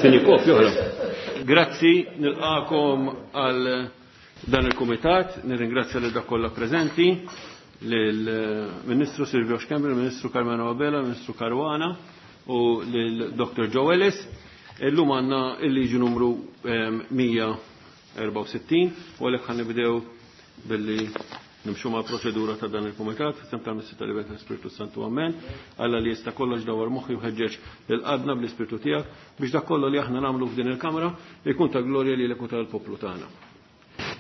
Sinjikov, joħra. Grazzi, nilqakom għal dan il-komitat, nirringrazzja lil dak kollha preżenti, lill-Ministru Silvio Schembri, il-Ministru Carmelo Abela, il-Ministru Caruana u lil Dr. Joe Ellis. Illum għandna il-liġi numru 164 u għalhekk ħa nibdew billi nimxu ma' proċedura ta' dan il-Kumitat, sem tal-Missi tal-Libet tal-Spiritu Santu Amen, Alla li jista' kollox dawar moħħi u ħeġġeġ lil qalbna bl-Ispirtu tiegħek biex dak kollu li aħna nagħmlu f'din il-Kamra jkun ta' glorja lilek u tal-poplu tagħna.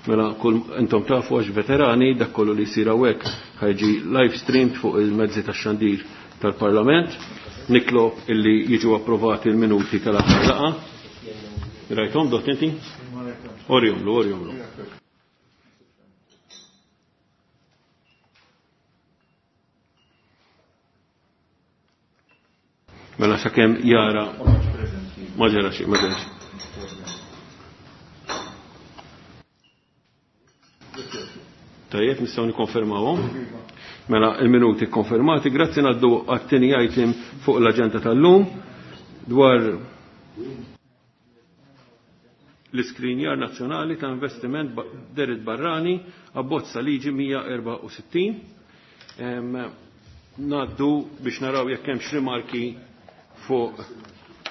Mela kull intom tafu għax veterani dak kollu li jsir hawnhekk ħajġi live streamed fuq il-mezzi tax-xandir tal-Parlament. Nitlob illi jiġu approvati l-minuti tal-aħħar laqgħa. Rajthom dott inti? Orjomlu, orjomlu. Mela sakemm jara ma ġara xejn, ma ġara xejn. Tajjeb, nistgħu nikkonfermawhom. Mela il-minuti konfermati, grazzi ngħaddu għat-tieni item fuq l-aġenda tal-lum dwar l-iskrinjar nazzjonali ta' investiment derit barrani abbozza liġi 164. Naddu biex naraw jekk hemmx rimarki fuq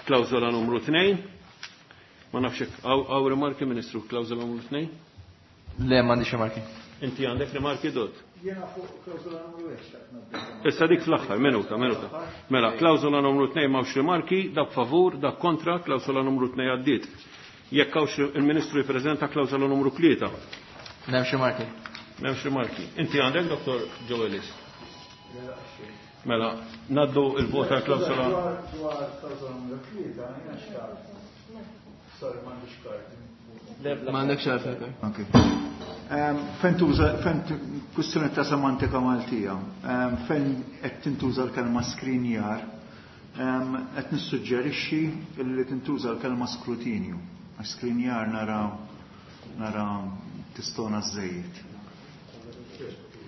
klawżola numru 2. Ma nafx hekk hawn rimarki Ministru klawżola numru 2? Le, m'għandix rimarki. Inti għandek rimarki Dott? Jiena fuq klawżola numru 1 xtaqt ngħaddi. Issa dik fl-aħħar, minuta, minuta. Mela, klawżola numru 2 m'hawnx rimarki, dak favur, dak kontra, klawżola numru 2 għaddiet. Jekk hawnx il-Ministru jippreżenta klawżola numru 3. M'hemmx rimarki. M'hemmx rimarki. Inti għandek, Dottor Joe Ellis? Mela, naddu il-vot għal klawsola. Dwar klawsola numru 3, jiena xtaqt. Sorry, m'għandix kard. M'għandekx għalfejn kard. Ok. Fejn tuża, fejn kwistjoni ta' semantika Maltija, fejn qed tintuża l-kelma skrinjar, qed nissuġġerixxi li tintuża l-kelma skrutinju. Għax skrinjar nara nara tistona żejjed.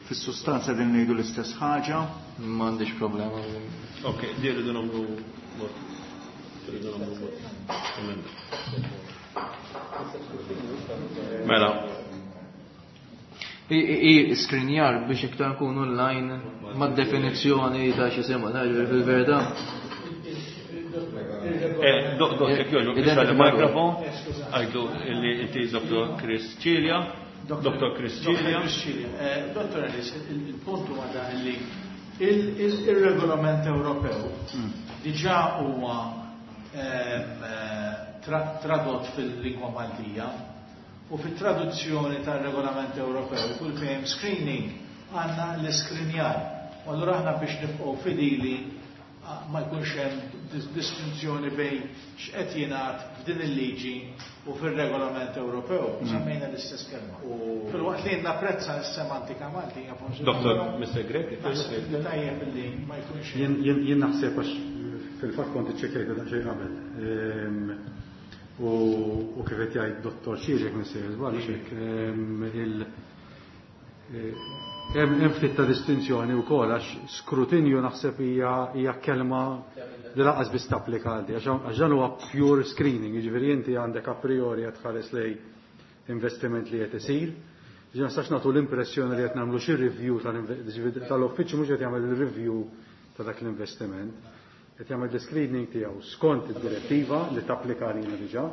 Fis-sustanza din ngħidu l-istess ħaġa. M'għandix problema. Ok, di rridu nagħmlu vot. Rridu nagħmlu vot. Emenda. Mela. I skrinjar biex iktar nkunu online mad-definizzjoni ta' xi sema, ta' ġifieri fil-verità. Dok, jekk jogħġbok, issa il-mikrofon, għajdu li inti Dr. Chris Cilia. Dr. Chris Cilia. Dr. Ellis, il-punt huwa dan li il-regolament Ewropew diġà huwa tradott fil-lingwa Maltija u fit-traduzzjoni tar-regolament Ewropew kull fejn screening għandna l-iskrinjar. U allura aħna biex nibqgħu fidili ma jkunx hemm distinzjoni bejn x'qed jingħad f'din il-liġi u fir-regolament Ewropew, semmejna l-istess kelma. Filwaqt li napprezza s-semantika Maltija forsi. Doktor, Mr. Grech, Naħseb li tajjeb li ma jkunx Jien naħseb għax fil-fatt kont iċċekkjajtu daqsxejn qabel. U kif qed jgħid Dottor Cilia jekk missejjer żball hekk, hemm ftit ta' distinzjoni wkoll għax skrutinju naħseb hija kelma li lanqas biss tapplika għal di, għax dan huwa pure screening, jiġifieri inti għandek a priori qed tħares lej investiment li qed isir. Ġifieri ma nistax nagħtu l-impressjoni li qed nagħmlu xi review tal-uffiċċju mhux qed jagħmel il-review ta' dak l-investiment. Qed jagħmel l-screening tiegħu skont id-direttiva li tapplika għalina diġà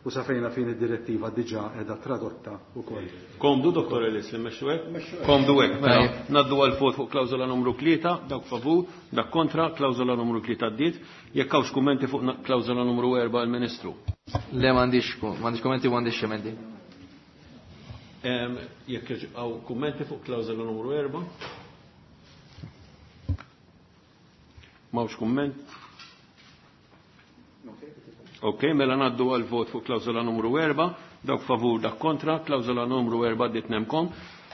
u sa fejna fin id-direttiva diġà qiegħda tradotta wkoll. Komdu, Dottor Ellis, li mmexxu hekk? Komdu hekk, mela. Naddu għal vot fuq klawżola numru 3, dawk favur, dak kontra, klawżola numru 3 għaddiet. Jekk hawnx kummenti fuq klawżola numru 4 għall-Ministru. Le, m'għandix kummenti u m'għandix emendi. Jekk hawn kummenti fuq klawżola numru 4? M'hawnx kumment? Ok, mela naddu għal vot fuq klawżola numru 4, dawk favur, dak kontra, klawżola numru 4 għaddiet nemkom.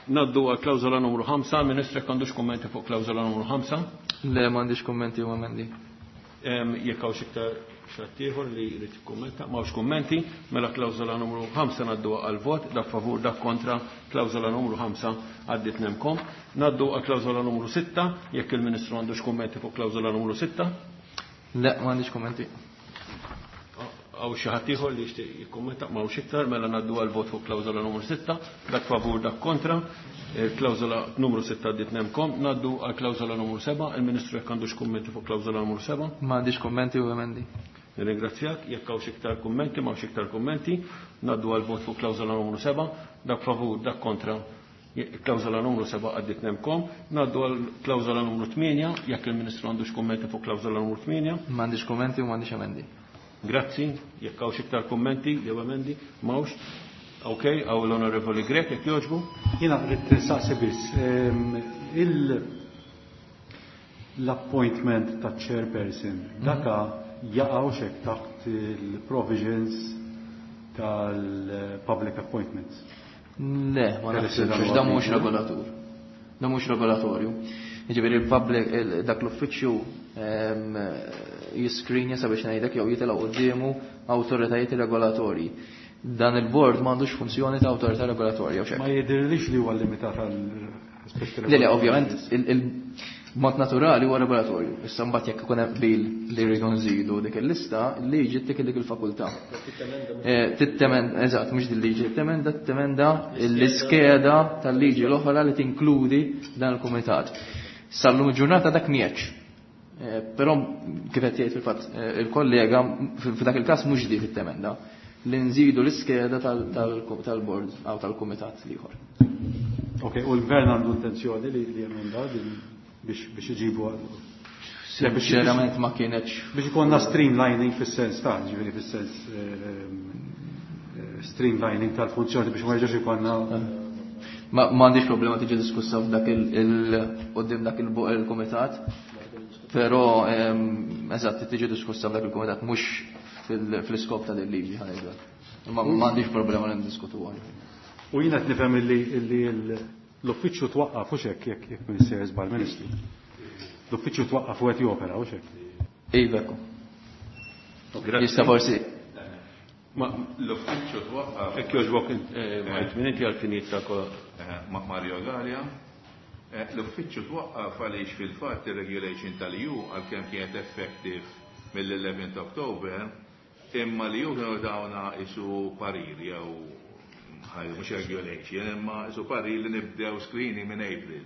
Naddu għal klawżola numru 5, Ministru jekk għandux kummenti fuq klawżola numru 5? Le, m'għandix kummenti u emendi. Jekk hawnx iktar xi ieħor li jrid jikkummenta, m'hawnx kummenti, mela klawżola numru 5 ngħaddu għal vot, dak favur, dak kontra, klawżola numru 5 għaddiet nemkom. Ngħaddu għal klawżola numru 6, jekk il-Ministru għandux kummenti fuq klawżola numru 6. Le, m'għandix kummenti. Hawn xi ħadd ieħor li jixtieq jikkummenta, m'hawnx iktar, mela ngħaddu għal vot fuq klawżola numru 6, dak favur, dak kontra. Il-klawżola numru 6 għaddiet nemkom. Ngħaddu għal klawżola numru 7, il-Ministru jekk għandux kummenti fuq klawżola numru 7. M'għandix kummenti u emendi. Nirringrazzjak, jekk hawnx iktar kummenti, m'hawnx iktar kummenti, ngħaddu għal vot fuq klawżola numru 7, dak favur, dak kontra. Klawżola numru 7 għaddiet nemkom. Ngħaddu għal klawżola numru 8, jekk il-Ministru għandux kummenti fuq klawżola numru 8. M'għandix kummenti u m'għandix emendi. Grazzi, jekk hawnx iktar kummenti jew emendi, m'hawnx. Ok, hawn l-Onorevoli Grech, jekk jogħġbu. Jiena rrid nistaqsi biss, l-appointment ta' chairperson, daka jaqgħu xek taħt il-provisions tal-public appointments? Le, ma naħsibx, dan mhux regolatur. Dan mhux regolatorju. Jiġifieri il-public dak l-uffiċċju jiskrinja sabiex ngħidlek jew jitilgħu quddiemu awtoritajiet regolatorji. Dan il-board m'għandux funzjoni ta' awtorità regolatorja u xejn. Ma jidhirlix li huwa limitat għal aspetti Le, ovvjament il-mod naturali huwa regolatorju. Issa mbagħad jekk ikun hemm qbil li rridu nżidu dik il-lista, il-liġi ttik dik il-fakultà. Tittemenda, eżatt, mhux din liġi, tittemenda l-iskeda tal-liġi l-oħra li tinkludi dan il-kumitat. Sal-lum il-ġurnata dak miex. Però kif qed jgħid fil-fatt il-kollega f'dak il-każ mhux di fit-temenda li nżidu l-iskeda tal-board jew tal-kumitat l-ieħor. Ok, u l-gvern għandu intenzjoni li jemenda din biex iġibu għal. Sinċerament ma kienx. Biex ikollna streamlining fis-sens ta' ġifieri fis-sens streamlining tal-funzjoni biex ma jerġax ikollna. Ma m'għandix problema tiġi diskussa f'dak il quddiem dak il-kumitat, però eżatt tiġi diskussa f'dak il-kumitat mhux fl-iskop ta' liġi ħa ngħidu. Ma m'għandix problema li ndiskutuha. U jiena qed nifhem illi l-uffiċċju twaqqaf u xek jekk Minister żball Ministru. L-uffiċċju twaqqaf u qed jopera u xek. Iva. Jista' forsi. Ma l-uffiċċju twaqqaf. Jekk jogħġbok minn inti għal-finijiet ta' Ma' Mario Galea. L-uffiċċju twaqqaf għaliex fil-fatt ir-regulation tal-EU għalkemm kienet effective mill-11 October, imma li ju kienu dawna isu parir jew mhux regulation, imma isu parir li nibdew screening minn April.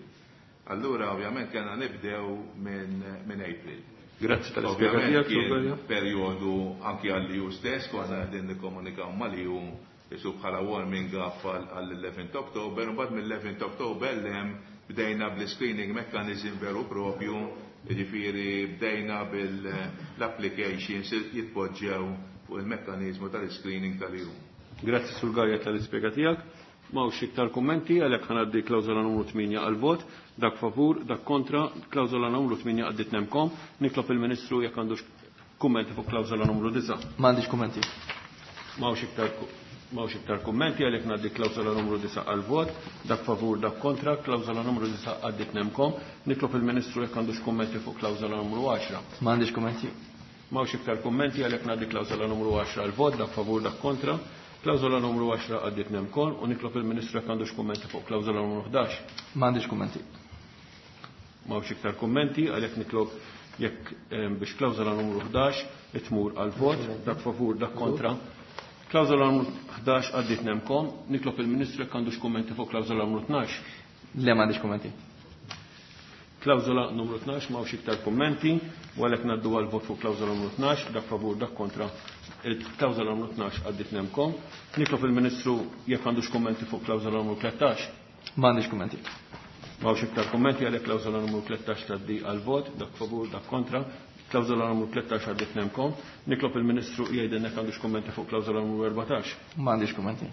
Allura ovvjament kellna nibdew minn April. Grazzi tal-ispjega tiegħek, Ovvjament kien Galea. perjodu anki għall-EU stess, konna qegħdin nikkomunikaw mal-EU isu bħala warming up għall-11 October, u mbagħad mill-11 October l-hemm bdejna bl-screening mechanism veru propju, jiġifieri bdejna bil-applications jitpoġġew fuq il-mekkanizmu tal-screening tal-EU. Grazzi Sur Galea tal-ispjega tiegħek. M'hawnx iktar kummenti, għalhekk ħa ngħaddi klawżola numru 8 għal-vot, dak favur, dak kontra, klawżola numru 8 għaddit nemkom. Nitlob il-Ministru jekk għandux kummenti fuq klawżola numru 9. M'għandix kummenti. M'hawnx iktar kummenti, għalhekk ngħaddi klawżola numru 9 għal-vot, dak favur, dak kontra, klawżola numru 9 għaddit nemkom. Nitlob il-Ministru jekk għandux kummenti fuq klawżola numru 10. M'għandix kummenti. M'hawnx iktar kummenti, għalhekk ngħaddi klawżola numru 10 għal-vot, dak favur, dak kontra. Klawżola numru 10 għaddit nemkom u nitlob il-Ministru jekk għandux kummenti fuq klawżola numru 11. M'għandix kummenti. M'hawnx iktar kummenti, għalhekk nitlob jekk biex klawżola numru 11 itmur għal-vot, dak favur, dak kontra. Klawżola numru 11 għaddit nemkom, nitlob il-Ministru jekk għandux kummenti fuq klawżola numru 12. Le, m'għandix kummenti. Klawżola numru 12 m'hawnx iktar kummenti, u għalhekk ngħaddu għal-vot fuq klawżola numru 12, dak favur, dak kontra. Il-klawżola numru 12 għaddit nemkom. Nitlob il-Ministru jekk għandux kummenti fuq klawżola numru 13. M'għandix kummenti. M'hawnx iktar kummenti, għalhekk klawżola numru 13 tgħaddi għal-vot, dak favur, dak kontra. Klawżola numru 13 għaddit nemkom. Nitlob il-Ministru jgħidilna jekk għandux kummenti fuq klawżola numru 14. M'għandix kummenti.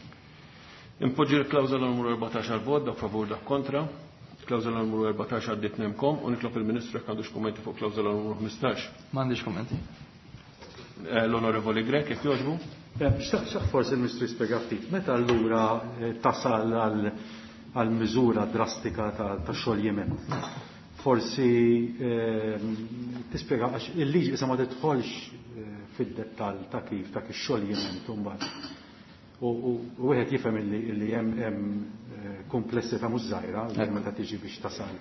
Impoġġi l-klawżola numru 14 għal-vot, dak favur, dak kontra. Klawżola numru 14 għaddit nemkom u nitlob il-Ministru jekk għandux kummenti fuq klawżola numru 15. M'għandix kummenti. L-Onorevoli Grech, jekk jogħġbu? Xtaqt forsi il-Ministru jispjega ftit, meta allura tasal għal miżura drastika ta' xoljiment. Forsi tispjega għax il-liġi issa ma tidħolx fid-dettall ta' kif dak ix-xoljiment imbagħad. U wieħed jifhem illi hemm komplessità mhux żgħira meta tiġi biex tasal.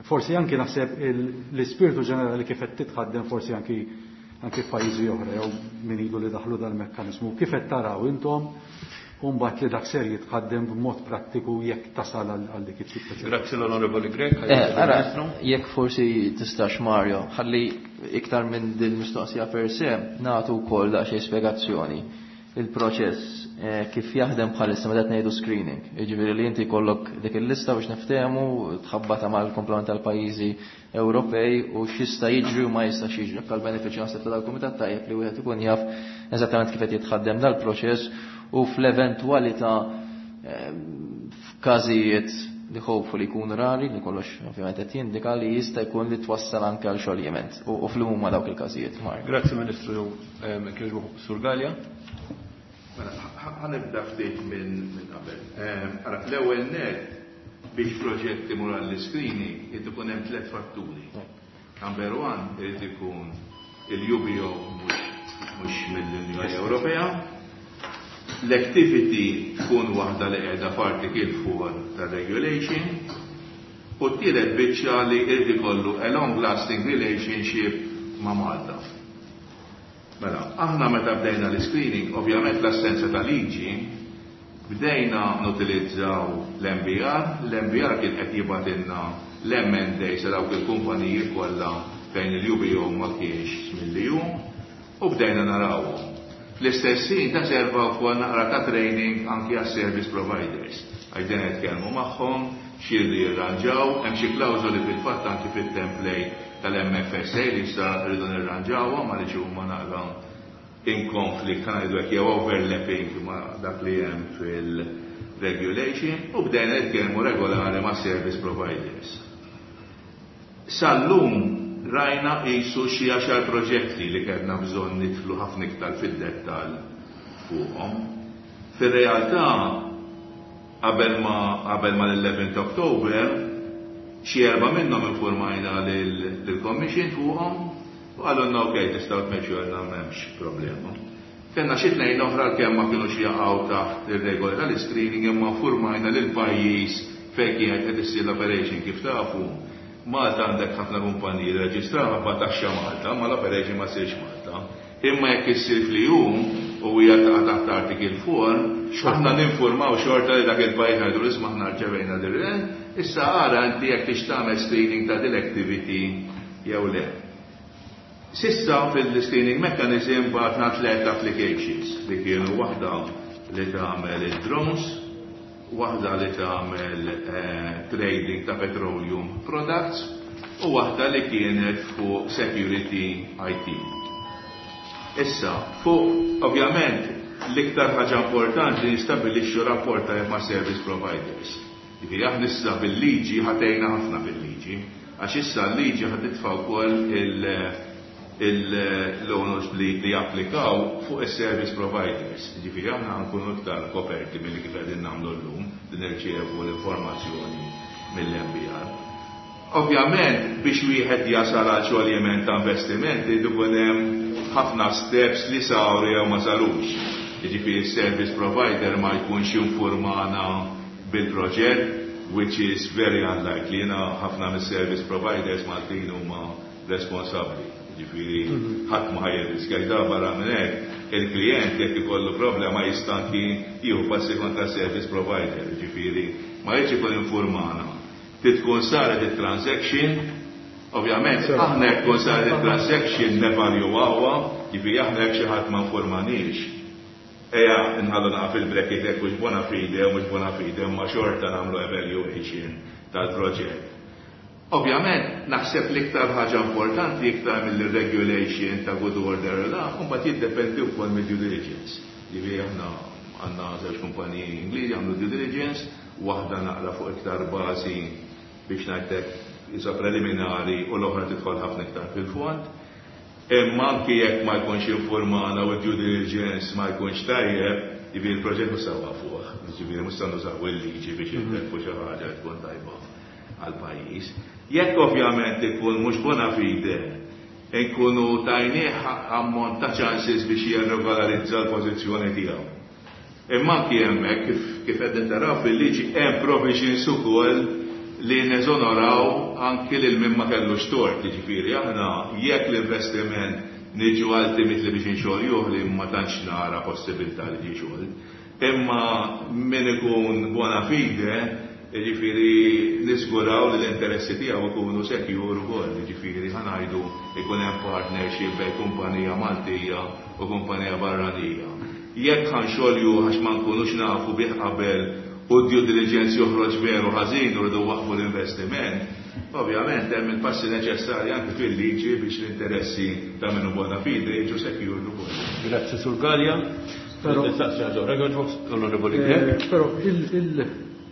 Forsi anki naħseb l-ispirtu ġenerali kif qed titħaddem forsi anki f'pajjiżi oħra jew min ilu li daħlu dal-mekkaniżmu, kif qed taraw intom u mbagħad li dak ser jitħaddem b'mod prattiku jekk tasal għal dik it-tip ta' Grazzi l-Onorevoli Grech. Ara, jekk forsi tistax, Mario, ħalli iktar minn din mistoqsija per se nagħtu wkoll daqsxejn spjegazzjoni. Il-proċess kif jaħdem bħalissa meta qed ngħidu screening. Jiġifieri li inti jkollok dik il-lista biex niftehmu tħabbata mal-komplement tal-pajjiżi Ewropej u x'jista' jiġri u ma jistax jiġri. Għal benefiċċju naħseb ta' dal-kumitat tajjeb li wieħed ikun jaf eżattament kif qed jitħaddem dal-proċess u fl-eventwalità f'każijiet li hopefully jkunu rari, li kollox ovvjament qed jindika li jista' jkun li twassal anke għal xoljiment u fl-huma dawk il-każijiet. Mario. Grazzi Ministru Sur Galea. Mela, ħa nibda ftit minn qabel. Ara, l-ewwel net biex proġett imur għall-screening irid ikun hemm tliet fatturi. Number one, irid ikun il-UBO mhux mill-Unjoni Ewropea, l-activity tkun waħda li qiegħda f'article 4 tar-regulation, u t-tielet biċċa li irid ikollu a long lasting relationship ma' Malta. Mela, aħna meta bdejna l-screening, ovvjament l-assenza ta' liġi, bdejna nutilizzaw l-MBR, l-MBR kien qed jibgħatilna l-M&A sa dawk il-kumpaniji kollha fejn il-UBO ma kienx mill-EU, u bdejna narawhom. Fl-istess ħin ta' serva wkoll naqra ta' training anki għas-service providers. Għax dejjem nitkellmu magħhom, x'iridu jirranġaw, hemm xi klawżoli fil-fatt anki fit-template tal-MFSA li issa rridu nirranġawhom għaliex huma naqra in conflict, ħa ngħidu hekk, jew overlapping ma' dak li hemm fil-regulation, u bdejna nitkellmu regolari ma' service providers. Sal-lum rajna qisu xi 10 proġetti li kellna bżonn nidħlu ħafna iktar fid-dettall fuqhom. Fir-realtà, qabel ma l-11 October, xi erba' minnhom informajna lill-Commission fuqhom u qalulna ok, tistgħu tmexxu, għalna m'hemmx problema. Kellna xi tnejn oħra kemm ma kienux jaqgħu taħt ir-regoli tal-screening, imma informajna lil pajjiż fejn kienet qed issir l-operation. Kif tafu, Malta għandek ħafna kumpaniji li reġistraw ma taxxa Malta, ma l-operation ma ssirx Malta. Imma jekk issir fl-EU u hija taqa' taħt article 4, aħna ninformaw xorta li dak il-pajjiż, ngħidu isma', aħna rċevejna dir, issa ara inti jekk tix tagħmel screening ta' dil activity jew le. S'issa fil-screening mechanism bagħatna tliet applications li kienu waħda li tagħmel il-drones, waħda li tagħmel trading ta' petroleum products u waħda li kienet fuq security IT. Issa, fuq ovvjament l-iktar ħaġa importanti li nistabilixxu rapport tajjeb ma' service providers. Jiġifieri aħna issa bil-liġi ħatejna ħafna bil-liġi, għax issa l-liġi ħa titfa' wkoll l-onus li japplikaw fuq is-service providers. Ġifieri aħna nkunu iktar koperti milli kif qegħdin nagħmlu llum li nirċievu l-informazzjoni mill-MBR. Ovvjament, biex wieħed jasal għal xoljiment ta' investiment, irid ikun hemm ħafna steps li saru jew ma sarux. Jiġifieri service provider ma jkunx informana bil-proġett, which is very unlikely. Jiena ħafna mis-service providers Maltin huma responsabbli. Ġifieri ħadd ma ħa jirriskja da. Barra minn hekk, il-klient jekk ikollu problema jista' anki jieħu passi kontra service provider, ġifieri ma jridx ikun informana. Trid tkun saret il-transaction, ovvjament aħna jekk tkun saret il-transaction nevaluawha, ġifieri aħna jekk xi ħadd ma informaniex. Eja, nħallu naqa fil-bracket jekk mhux bona fide u mhux bona fide, ma xorta nagħmlu evaluation tal-proġett. Ovvjament, naħseb l-iktar ħaġa importanti iktar mill-regulation ta' good order la, mbagħad jiddependi wkoll mid-due diligence. Jiġifieri aħna għandna żewġ kumpaniji Ingliżi għamlu due diligence, waħda naqra fuq iktar bażi biex ngħidlek isa preliminari u l-oħra tidħol ħafna iktar fil-fond. Imma anki jekk ma jkunx informana u due diligence ma jkunx tajjeb, jiġifieri il-proġett mhux sewwa fuq, jiġifieri mhux se nużaw il-liġi biex intellfu xi ħaġa tkun tajba. għall-pajjiż. Jekk ovvjament ikun mhux bona fide, inkunu tajnieh ammont ta' chances biex jirregolarizza l-pożizzjoni tiegħu. Imma anki hemmhekk kif qegħdin taraw fil-liġi hemm provisions ukoll li neżonoraw anki lil min ma kellux tort, jiġifieri aħna jekk l-investiment niġu ultimately biex inxoljuh li ma tantx nara possibilità li ġie xolt, imma min ikun bona fide, jiġifieri niżguraw li l-interessi tiegħu jkunu secure ukoll, jiġifieri ħa ngħidu jkun hemm partnership bejn kumpanija Maltija u kumpanija barranija. Jekk ħa nxolju għax ma nkunux nafu bih qabel u d-due diligence joħroġ veru ħażin u rridu nwaqqfu l-investiment, ovvjament hemm il-passi neċessarji anki fil-liġi biex l-interessi ta' min hu bona fide jiġu secured ukoll. Grazzi Sur Galea. Però Nistaqsi ħaġa oħra, jogħġbok, Onorevoli Grech. Però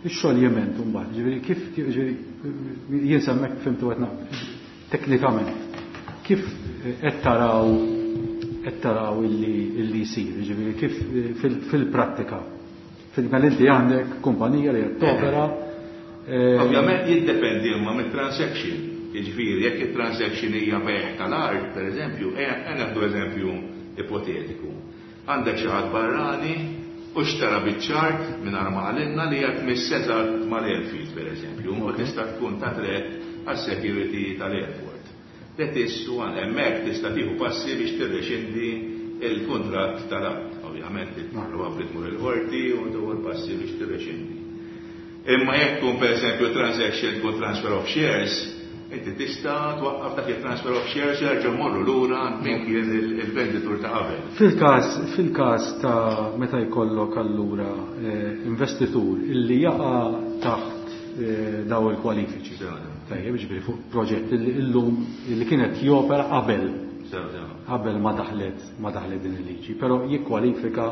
ix-xoljiment imbagħad, ġifieri kif ġifieri jien s'hemmhekk fhimtu qed teknikament kif qed taraw illi jsir, ġifieri kif fil-prattika. Fil-mela inti għandek kumpanija li qed topera. Ovvjament jiddependi imma mit-transaction. Jiġifieri jekk it-transaction hija bejgħ tal-art, per eżempju, ejja nieħdu eżempju ipotetiku. Għandek xi ħadd barrani u xtara biċ-ċart mingħajr ma qalilna li qed tmiss eżatt mal-airfield, per eżempju, u tista' tkun ta' threat għas-security tal-airport. That is one, hemmhekk tista' tieħu passi biex tirrexindi il-kuntratt tal-art. Ovvjament, probabbli tmur il-qorti u tieħu passi biex tirrexindi. Imma jekk tkun per eżempju transaction tkun transfer of shares, inti tista' twaqqaf dak il-transfer of shares, jerġa' morru lura għand min kien il-venditur ta' qabel. Fil-każ ta' meta jkollok allura investitur illi jaqa' taħt daw il-kwalifiċi. Tajjeb, ġifieri fuq proġett illi illum illi kienet jopera qabel qabel ma daħlet din il-liġi, però jikkwalifika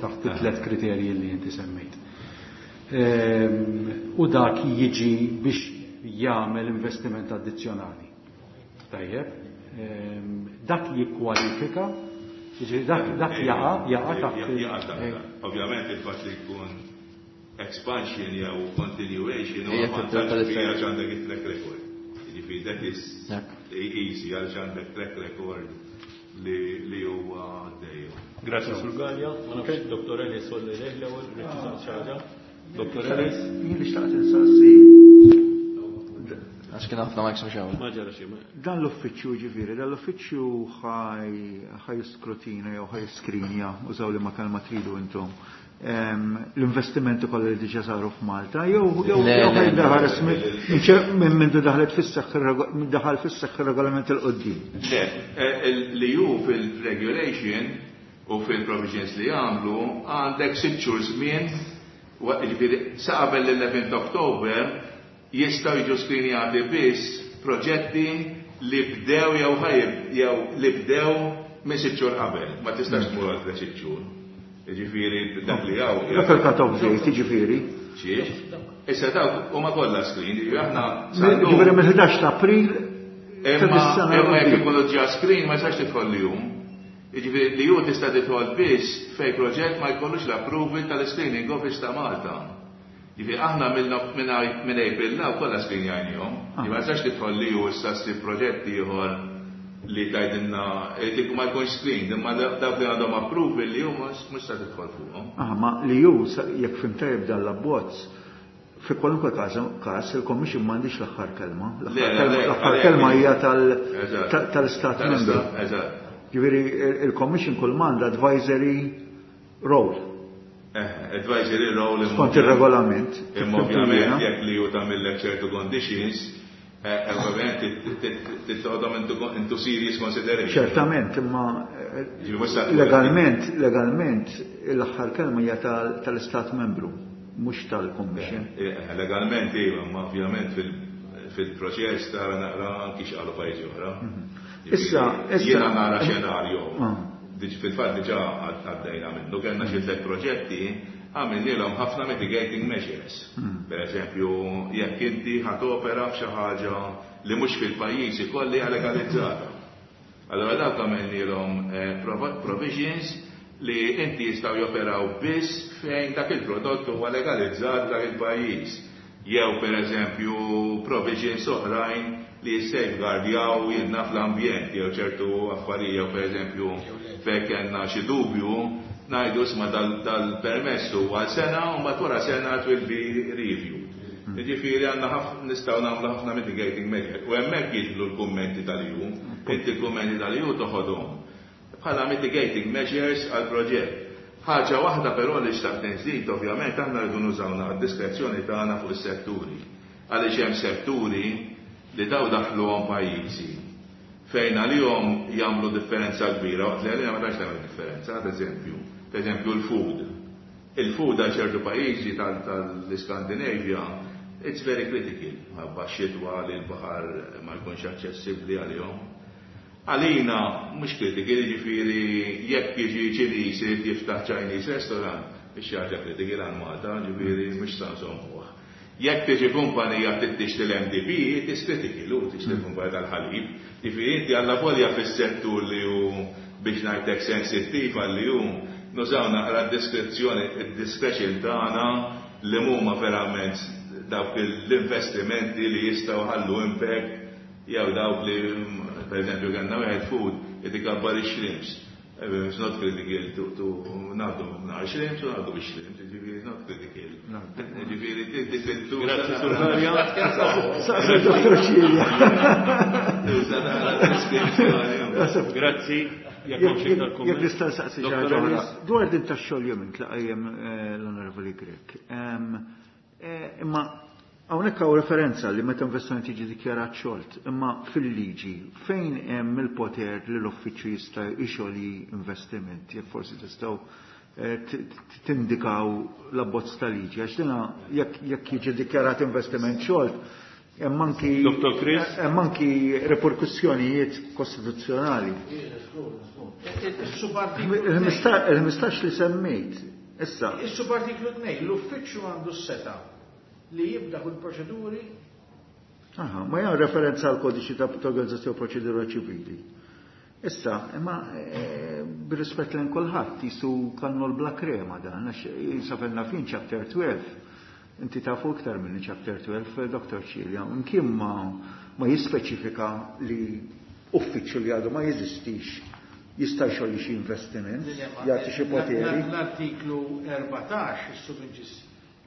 taħt it-tlet kriterji li inti semmejt. U dak jiġi biex jagħmel investiment addizzjonali. Tajjeb, dak jikkwalifika, jiġifieri dak jaqa' taħt Jaqa' taħt. Ovvjament il-fatt li jkun expansion jew continuation u Hija vantaġġ titratta kbir għax għandek it-track record. Jiġifieri that is easy għaliex għandek track record li huwa dejjem. Grazie Sur Galea. Ma nafx Dr. Ellis olli lej l-ewwel, rrid xi ħaġa. Dr. Ellis. Jien li xtaqt insaqsi. Għax kien ħafna mics mhux hawn. Ma ġara xejn. Dan l-uffiċċju ġifieri, dan l-uffiċċju ħa jiskrutina jew ħa jiskrinja, użaw liema kelma tridu intom, l-investimenti kollha li diġà saru f'Malta, jew Le, jew le, ħa jdaħares minn mindu daħlet fis-seħħ daħal fis-seħħ ir-regolament 'il quddiem? Le, li hu fil-regulation u fil-provisions li għamlu għandek 6 xhur żmien, jiġifieri sa qabel l-11 October jistgħu jiġu skrinjati biss proġetti li bdew jew ħajib jew li bdew minn 6 xhur qabel. Ma tistax tmur għal 6 xhur. Jiġifieri dak li hawn. Dak il-cut-off date, jiġifieri. Xiex? Issa dawk huma kollha screen, jiġifieri aħna Ġifieri mill-11 ta' April ta' Imma dis-sena imma jekk l-quddiem. ikunu ġa screen ma jistax tidħol li jum. Jiġifieri li ju tista' tidħol biss fej proġett ma jkollux l-approval tal-screening office ta' Malta. Jiġifieri aħna minn April law kollha screenjajnihom. Jiġifieri ma jistax tidħol li ju issa ssib proġett ieħor li tgħidilna dik ma jkunx screen, imma dawk li għandhom approval li ju mhux se tidħol fuqhom. Ah, ma li ju, jekk fhimt tajjeb dan l-abbozz, fi kwalunkwe każ il-Commission m'għandix l-aħħar kelma. Le, L-aħħar le, kelma, le, l-aħħar għalhekk kelma hija tal-Istat Tal-Istat, membru. Ġifieri il-Commission kull m'għandha advisory role. Advisory role imma Skont ir-regolament. Imma ovvjament jekk li ju tagħmillek ċertu conditions, ovvjament tittoħodhom into serious consideration. Ċertament, imma Ġifieri mhux sa tkun legalment l-aħħar kelma hija tal-Istat membru, mhux tal-Commission. Legalment iva, imma ovvjament fil-proċess tara naqra anki x'qalu pajjiżi oħra. Ġifieri, Jiena nara xenarju. Fil-fatt diġà għaddejna minnu, kellna xi tliet proġetti, għamilnielhom ħafna mitigating measures. Per eżempju, jekk inti ħa topera f'xi ħaġa li mhux fil-pajjiż ikolli hija legalizzata. Allora dawk għamilnielhom provisions li inti jistgħu joperaw biss fejn dak il-prodott huwa legalizzat dak il-pajjiż. Jew pereżempju provisions oħrajn li jissafeguardjaw jidna fl-ambjent jew ċertu affarijiet, jew pereżempju fejn kellna xi dubju ngħidu isma' dal-permess huwa għal sena u mbagħad wara sena it will be reviewed. Jiġifieri għandna nistgħu nagħmlu ħafna mitigating measure. U hemmhekk jidħlu l-kummenti tal-EU. Inti l-kummenti tal-EU toħodhom bħala mitigating measures għal proġett. Ħaġa waħda però li xtaqt nżid, ovvjament aħna rridu nużaw d-diskrezzjoni tagħna fuq is-setturi. Għaliex hemm setturi li daw daħluhom pajjiżi fejn għalihom jagħmlu differenza kbira, waqt li għalina ma tantx tagħmel differenza, ad eżempju, per eżempju l-food. Il-food għal ċertu pajjiżi tal-Iskandinavja, it's very critical, ħabba xitwa li l-baħar ma jkunx aċċessibbli għalihom. Għalina mhux critical, jiġifieri jekk jiġi Ċiniż irid jiftaħ Chinese restaurant, biex ħaġa critical għal Malta, ġifieri mhux sa nsommuh. Jekk tiġi kumpanija tixtri l-MDP, it is critical, u tixtri kumpanija tal-ħalib. Ġifieri inti għalla volja fis-settur li hu biex ngħidlek sensittiv għalli hu, nużaw naqra d-diskrezzjoni, id-discretion tagħna li huma verament dawk l-investimenti li jistgħu ħallu impact, jew dawk li, per eżempju, kellna wieħed food qed ikabbar ix-shrimps. It's not critical to ngħaddu nhar shrimps u ngħaddu bix-shrimps, jiġifieri it's not critical. Jiġifieri tifittu. Grazzi, Sur Galea. Saqsa Dr. Cilia. Tuża naqra diskrezzjoni. Grazzi. Jekk hawn xi iktar Jekk kumment. nista' nsaqsi xi Dr. ħaġa oħra. Ellis. Dwar din tax-xogħol li qajjem l-Onorevoli Grech. Imma hawnhekk hawn referenza li meta investiment jiġi dikjarat xolt, imma fil-liġi fejn hemm il-poter li l-uffiċċju jista' jxolji investiment, jekk forsi tistgħu tindikaw l-abbozz ta' liġi, għax dina jekk jiġi dikjarat investiment xolt, hemm anki Dr. Chris? hemm anki reperkussjonijiet kostituzzjonali. Il-15 li semmejt, issa. Is-subartiklu 2, l-uffiċċju għandu s-seta li jibda kull proċeduri. Aha, ma jgħan referenza għal kodiċi ta' organizzazzjoni proċedura ċivili. Issa, imma bir-rispett lejn kulħadd jisu kannu l-bla krema dan, għax jinsafenna fin chapter 12. Inti tafu iktar minn chapter 12, Dr. Cilia, imkien ma jispeċifika li uffiċċju li għadu ma jeżistix jista' jxolli xi investiment, jagħti xi poteri. L-artiklu 14, is-subinġis,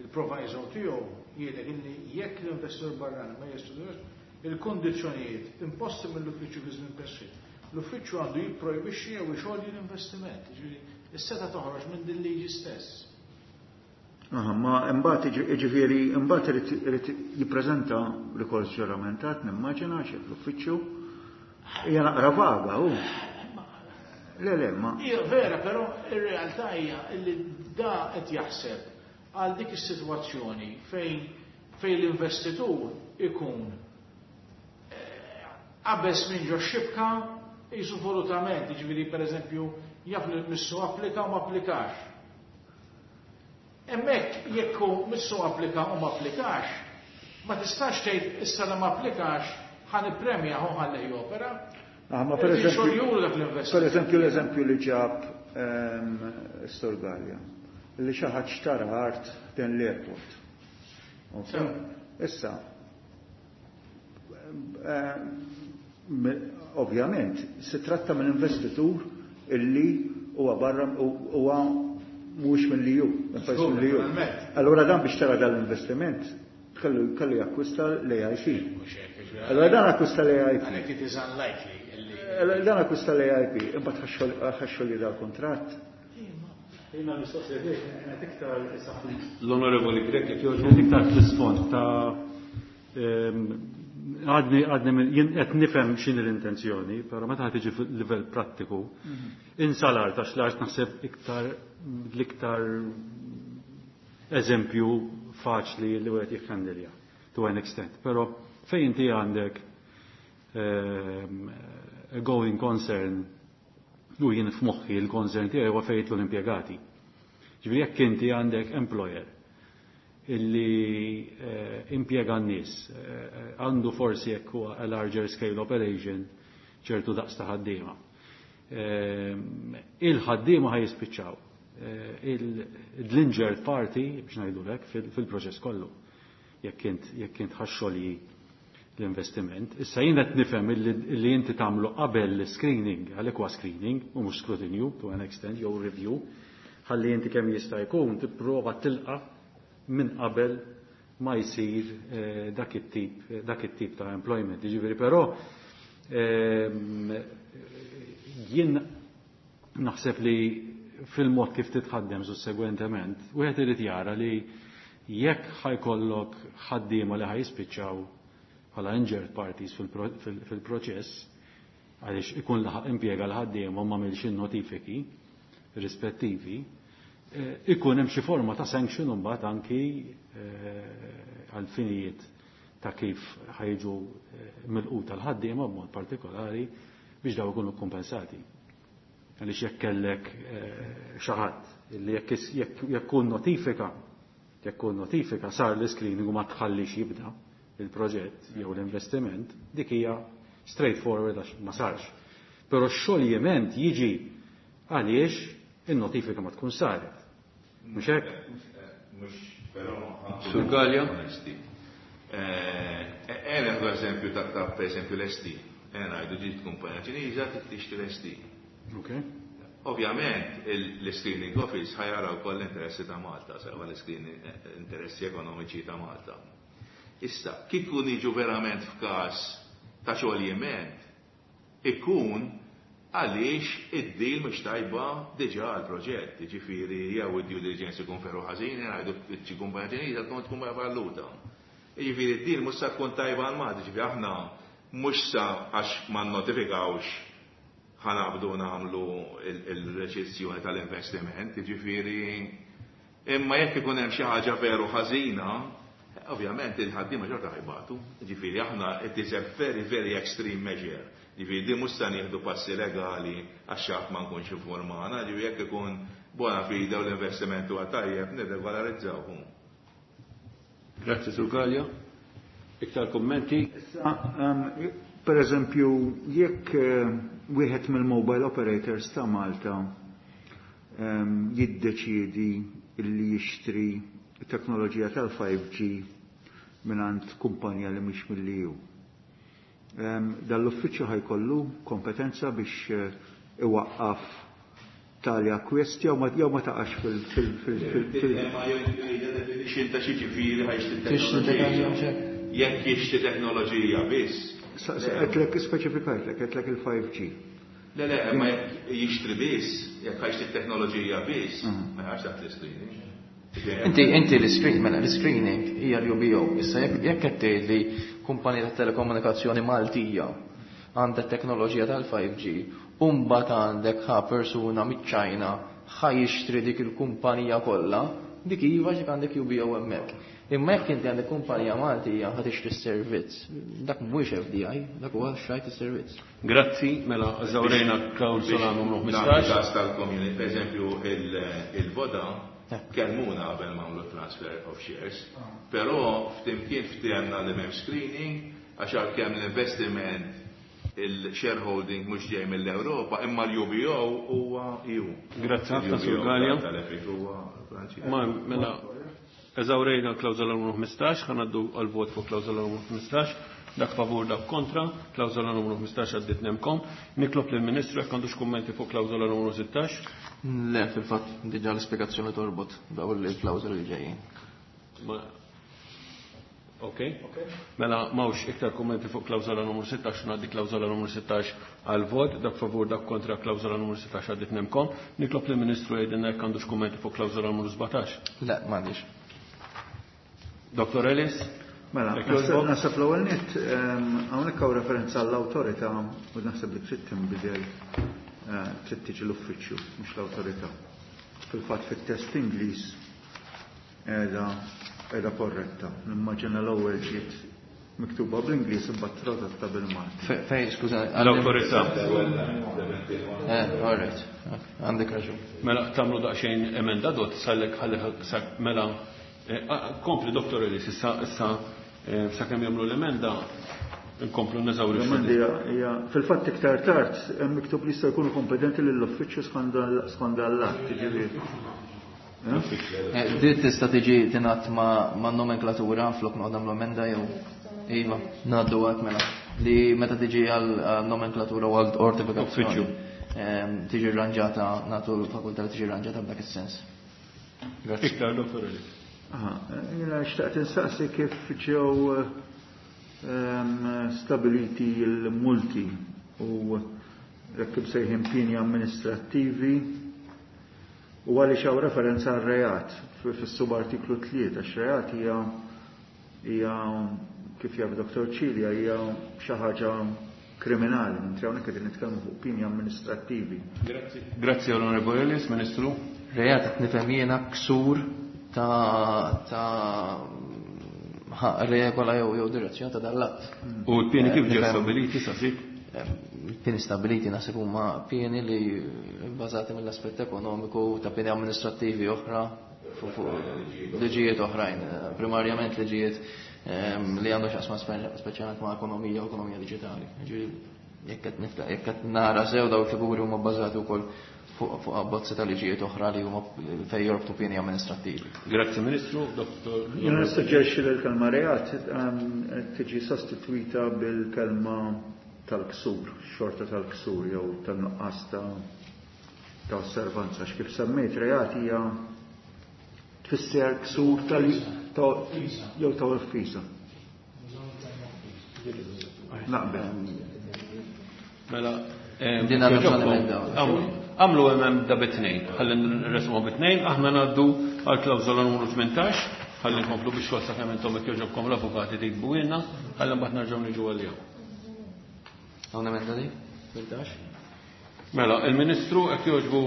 il-proviso tiegħu jgħidlek illi jekk l-investor barrani ma jistudjax il-kondizzjonijiet imposti mill-uffiċċju fi żmien preskritt, l-uffiċċju għandu jipprojbixxi jew ixolji l-investiment. Jiġifieri is-seta toħroġ minn din liġi stess. Aha, ma imbagħad jiġifieri imbagħad irid jippreżenta rikors ġuramentat, nimmaġina xi l-uffiċċju. Hija naqra vaga hu. Le, le, ma. Hija vera, però ir-realtà hija li da qed jaħseb għal dik is-sitwazzjoni fejn l-investitur ikun qabeż minn ġo xibka jisu volutament, jiġifieri pereżempju jaf li missu applika u ma applikax. Hemmhekk jekk hu missu applika u ma applikax, ma tistax tgħid issa li ma applikax ħa nippremja hu ħalli jopera. Ah, ma per Irrid eżempju, xogħol dak l-investitur. per eżempju l-eżempju li ġab Sur Galea, li xi ħadd xtara art din l-airport. Ok? Issa, ovvjament, si tratta minn investitur illi huwa barra huwa mhux minn li hu, minn pajjiż minn li hu. Naturalment. Allura dan biex tara dal-investiment kellu jakkwista l-AIP. Allura dan akkwista l-AIP. Għalhekk it is unlikely illi Allura dan akkwista l-AIP, imbagħad ħaxxol li dal-kuntratt. Jina mistoqsija tiegħek kienet iktar issa L-Onorevoli Grech, jekk jogħġbu. Kienet iktar fl-isfond ta' għadni jien qed nifhem x'inhi l-intenzjoni, però meta ħad tiġi fil-livell prattiku, insalar ta' xlart naħseb iktar l-iktar eżempju faċli li wieħed jikhandilja to an extent. Però fejn inti għandek a going concern u jien f'moħħi l-concern tiegħi huwa fejn jidħlu l-impjegati. Ġifieri jekk inti għandek employer illi impjega n-nies, għandu forsi jekk huwa a larger scale operation ċertu daqs ta' ħaddiema. Il-ħaddiema ħaj jispiċċaw il-injured party, biex ngħidulek, fil-proċess kollu. jekk int jekk int ħa xxolji l-investiment. Issa jien qed nifhem illi inti tagħmlu qabel l-screening, għalhekk huwa screening u mhux skrutinju to an extent jew review, ħalli inti kemm jista' jkun tipprova tilqa' minn qabel ma jsir dak it-tip ta' employment. Jiġifieri però jien naħseb li fil-mod kif titħaddem sussegwentement, wieħed irid jara li jekk ħa jkollok ħaddiema li ħa jispiċċaw bħala injured parties fil-proċess, għaliex ikun laħaq impjega l-ħaddiema u m'għamilx in-notifiki rispettivi, ikun hemm xi forma ta' sanction imbagħad anki għal finijiet ta' kif ħa jiġu milquta l-ħaddiema b'mod partikolari biex daw ikunu kompensati. Għaliex jekk kellek xi ħadd li jekk kun notifika sar l-screening u ma tħallix jibda il-proġett jew l-investiment, dik hija straightforward għax ma sarx. Però x-xoljiment jiġi għaliex in-notifika ma tkun saret. Mhux hekk? Mhux, però. Sur Gallia? Onesti. Ejja eżempju ta' per eżempju l-ST. Ngħidu ġiet kumpanija Ċiniża tixtri l-ST. Ovvjament, l-screening office ħa jara wkoll l-interessi ta' Malta, sewa l-screening interessi ekonomiċi ta' Malta. Issa, kieku niġu verament f'każ ta' xoljiment, ikun għaliex id-deal mhux tajba diġà għal-proġett, ġifieri jew id-due diligence ikun veru ħażin, ngħidu xi kumpanija Ċiniża tkun falluta. Ġifieri id-deal mhux sa tkun tajba għal Malta, ġifieri aħna mhux sa għax ma notifikawx ħa naqbdu nagħmlu il-reċessjoni tal-investiment, ġifieri imma jekk ikun hemm xi ħaġa veru ħażina, ovvjament il-ħaddiema xorta ħa jbatu. Ġifieri aħna it is a very, very extreme measure. Ġifieri di mhux sa nieħdu passi legali għax xi ħadd ma nkunx informana, ġifieri jekk ikun bona fide u l-investiment huwa tajjeb nirregolarizzawhom. Grazzi, Sur Gallia. Iktar kommenti? Issa, per eżempju, jekk wieħed mill-mobile operators ta' Malta jiddeċiedi illi jixtri teknoloġija tal-5G mingħand kumpanija li mhix mill-EU. Dal-uffiċċju ħa jkollu kompetenza biex iwaqqaf tali akkwist jew ma taqax fil fil fil fil fil Ma definition ta' xi ġifieri ħa jixtri Tixtri teknoloġija. teknoloġija. Jekk jixtri teknoloġija biss. Għedtlek speċifikajtlek, għedtlek il-5G. Le, ma jekk jixtri biss, jekk ħa jixtri teknoloġija biss, ma jaqax taħt l-screening. Inti l-screen, mela l-screening hija l-UBO. Issa jekk qed tgħid li kumpanija ta' telekomunikazzjoni Maltija għandha teknoloġija tal-5G, u mbagħad għandek ħa persuna miċ-Ċajna ħa jixtri dik il-kumpanija kollha, dik iva xi għandek UBO hemmhekk. Imma jekk inti għandek kumpanija Maltija ħa tixtri s-servizz, dak mhuwiex FDI, dak huwa xtrajt is-servizz. Grazzi, mela eżawrejna klawsola numru 15. Każ tal-community, per eżempju, il-Voda kellmuna qabel ma għamlu transfer of shares, però flimkien ftehemna li m'hemm screening, għax għalkemm l-investiment il-shareholding mhux ġej mill-Ewropa, imma l-UBO huwa EU. Grazzi ħafna, Sur Il-UBO Gallia. tal-Efik huwa Franċiż. Ma mela eżawrejna l-klawżola numru 15, ħa ngħaddu għal-vot fuq klawżola numru 15, dak favur, dak kontra, klawżola numru 15 għaddit nem kom. Nitlob lill-Ministru jekk għandux kummenti fuq klawżola numru 16. Le, fil-fatt diġà l-ispjegazzjoni torbot daw il-klawżoli li ġejjin. Ok. Mela m'hawnx iktar kummenti fuq klawżola numru 16, ngħaddi klawżola numru 16 għal vot, dak favur, dak kontra, klawżola numru 16 għaddit nemkom. Nitlob lill-Ministru jgħidilna jekk għandux kummenti fuq klawżola numru 17. Le, m'għandix. Dr. Ellis? Mela, Jekk jogħġbok? naħseb l-ewwel nett hawnhekk hawn referenza għall-awtorità u naħseb li trid tinbidel, trid tiġi l-uffiċċju mhux l-awtorità. Fil-fatt fit-test Ingliż qiegħda korretta. Nimmaġina l-ewwel ġiet miktuba bl-Ingliż imbagħad tradotta bil-Malti. Fej, skużani. L-awtorità. All right. Għandek raġun. Mela tagħmlu daqsxejn emenda dot sallek ħalli mela kompli Dr. Ellis issa sakemm jagħmlu l-emenda nkomplu neżawri. L-emendi hija fil-fatt iktar tard hemm miktub li jista' jkunu kompetenti lill-uffiċċju skont dan l-att, jiġifieri. Din tista' tiġi tingħad ma' nomenklatura flok noqgħod nagħmlu emenda jew iva, ngħaddu għad mela. Li meta tiġi għal nomenklatura u għal ortifikazzjoni. Tiġi rranġata, nagħtu l-fakultà li tiġi rranġata b'dak is-sens. Grazzi. Iktar, Dottor Ellis. Jiena xtaqt insaqsi kif ġew stabiliti l-multi u jekk imsejħin pieni amministrattivi u għaliex hawn referenza għal reat fis-subartiklu 3, għax reat hija kif jaf Dottor Cilia hija xi ħaġa kriminali, mentri hawnhekk qegħdin nitkellmu fuq pieni amministrattivi. Grazzi. Grazzi Onorevole Ellis, Ministru. Reat qed nifhem jiena ksur ta' regola jew direzzjoni ta' dal-att. U l-pieni kif ġew stabiliti sa sik? Pieni stabiliti naħseb huma pieni li bbażati mill-aspett ekonomiku ta' pieni amministrattivi oħra fuq liġijiet oħrajn, primarjament liġijiet li għandu x'jaqsma speċjalment ma' ekonomija u ekonomija diġitali. Ġifieri jekk qed nara sew dawn il-figuri huma bbażati wkoll fuq abbozzi ta' liġijiet oħra li huma fejn jorbtu pieni amministrattivi. Grazzi Ministru, Dottor. Jiena nissuġġerixxi li l-kelma reat tiġi sostituita bil-kelma tal-ksur, xorta tal-ksur jew tan-nuqqas ta' osservanza. X'kif semmejt reat hija tfisser ksur tal jew ta' offiża. Naqbel. Mela, Din għandha bżonn emenda. Għamlu emenda bit-tnejn, ħalli nresmu bit-tnejn, aħna ngħaddu għal klawżola numru 18, ħalli nkomplu biex xogħol sakemm intom jekk jogħġobkom l-avukati tiktbu ilna, ħalli mbagħad nerġgħu niġu għalihom. Hawn emenda di? 18? Mela, il-Ministru qed jogħġbu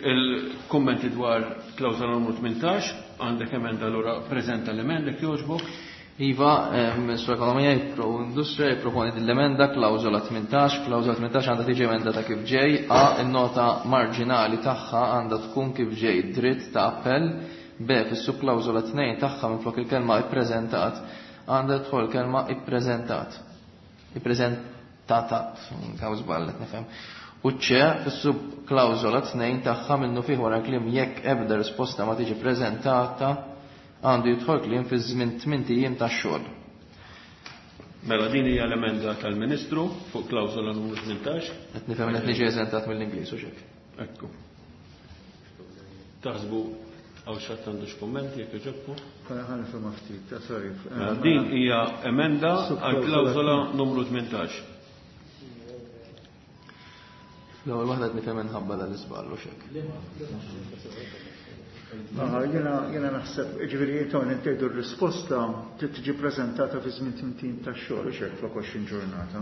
il-kummenti dwar klawżola numru 18, għandek emenda allura preżenta l-emenda jekk jogħġbok. Iva, Ministru Ekonomija u Industrija jipproponi din l-emenda klawżola 18, klawżola 18 għandha tiġi emendata kif ġej, A, in-nota marġinali tagħha għandha tkun kif ġej, dritt ta' appell, B, fis-subklawżola 2 tagħha minflok il-kelma ippreżentat, għandha tidħol kelma ippreżentat. Ippreżentatat, kaw żball qed nifhem. U C, fis-subklawżola 2 tagħha minnu fih wara kliem jekk ebda risposta ma tiġi preżentata għandu jidħol kliem fi żmien 8 ijiem tax-xogħol. Mela din hija l-emenda tal-Ministru fuq klawżola numru 18. Qed nifhem qed niġi eżentat mill-Ingliż u xek. Ekku. Taħsbu hawn xi ħadd għandu x'kummenti jekk jogħġobkom? Ħa nifhem ftit, ta' sorry. Mela din hija emenda għal klawżola numru 18. L-ewwel waħda qed nifhem inħabba dal-iżball u xek. Jiena naħseb, ġifieri intom intejdu r-risposta trid tiġi preżentata fi żmien 8 tax-xogħol, u xek flok 20 ġurnata.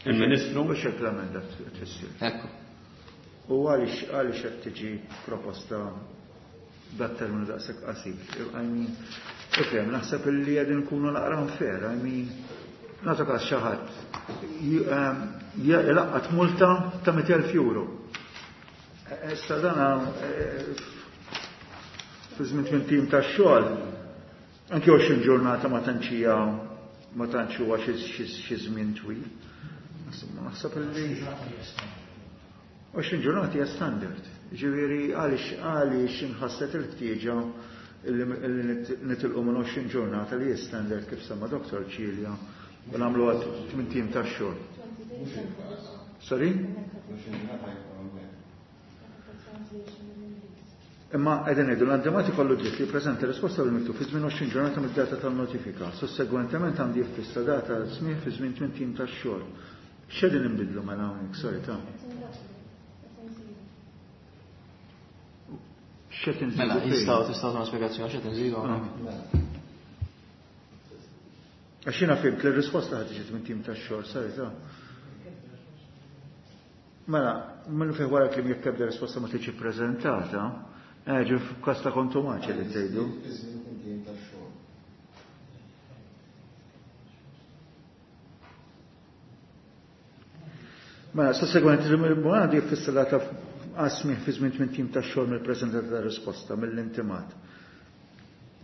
Il-Ministru? U xek l-emenda tfisser. Ekku. U għaliex qed tiġi proposta dat terminu daqshekk qasir? Ifhem, naħseb illi qegħdin nkunu naqra unfair, nagħtu każ xi ħadd ilaqqat multa ta' 200,000 euro. Issa dana fi żmien tmien tim tax-xogħol, anke 20 ġurnata ma tantx hija, ma tantx huwa xi żmien twil. Insomma, naħseb illi 20 ġurnata hija standard. Ġifieri għaliex inħasset il-ħtieġa illi nitilqu minn 20 ġurnata li hija standard kif semma Dottor Cilia u nagħmlu għad tmien tim tax-xogħol. Sorry? Imma qegħdin ngħidu l-antimat ikollu dritt li jippreżenta risposta bil-miktub fi żmien 20 ġurnata mid-data tan-notifika. Sussegwentement għandi jiffissa data smih fi żmien tmien tim tax-xogħol. X'qegħdin inbidlu mela hawnhekk, sorry ta'. X'qed inżidu? Mela, fejn? tistgħu tagħmlu spjegazzjoni x'qed inżidu hawnhekk? Għax jiena fhimt li r-risposta ħad tiġi tmien tim tax-xogħol, sorry ta'. Mela, minnu fih wara kliem jekk ebda risposta ma tiġi ppreżentata, ġi f'każ ta' kontumaċi li tgħidu. Mela, sussegwenti il-tribunal jiffissa data għasmih fi żmien tmien tim tax-xogħol mill-preżentata ta' risposta mill-intimat.